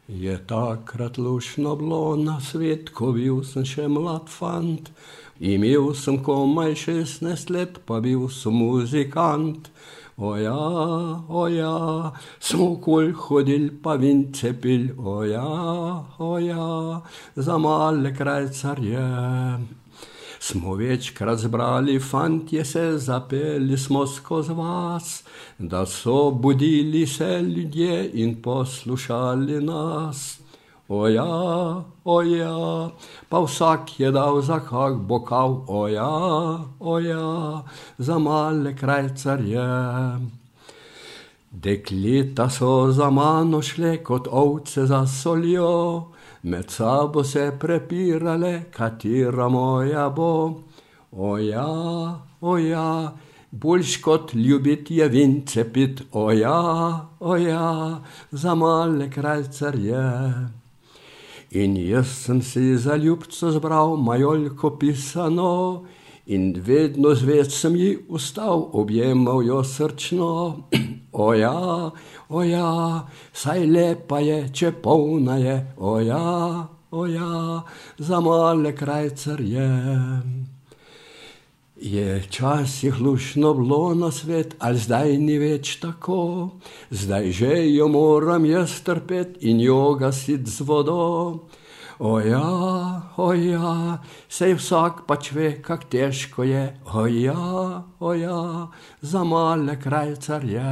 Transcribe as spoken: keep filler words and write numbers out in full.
Je takrat lušno bilo na svet, ko bil sem še mlad fant. Imel sem komaj šestnajst let, pa bil sem muzikant. Oja, oja, smo okoli hodili pa vince pili. Oja, oja, za male krajcarje. Smo večkrat zbrali fantje se, zapeli smo skozi vas, da so budili se ljudje in poslušali nas. Oja, oja, pa vsak je dal za kak bokal. Oja, oja, za male krajcarje. Dekleta so za mano šle kot ovce za soljo, med sabo se prepirale, katera moja bo. Oja, oja, boljš kot ljubit je vince pit. Oja, oja, za male krajcarje. In jaz sem si za ljubco zbral majolko pisano in vedno zvest sem ji ustal, objemal jo srčno. Oja, oja, saj lepa je, če polna je. Oja, oja, za male krajcarje. Je včasih luštno bilo na svet, ali zdaj ni več tako? Zdaj že jo moram jaz trpet in jo gasit z vodo. Oja, oja, sej vsak pač ve, kak težko je. Oja, oja, za male krajcarje.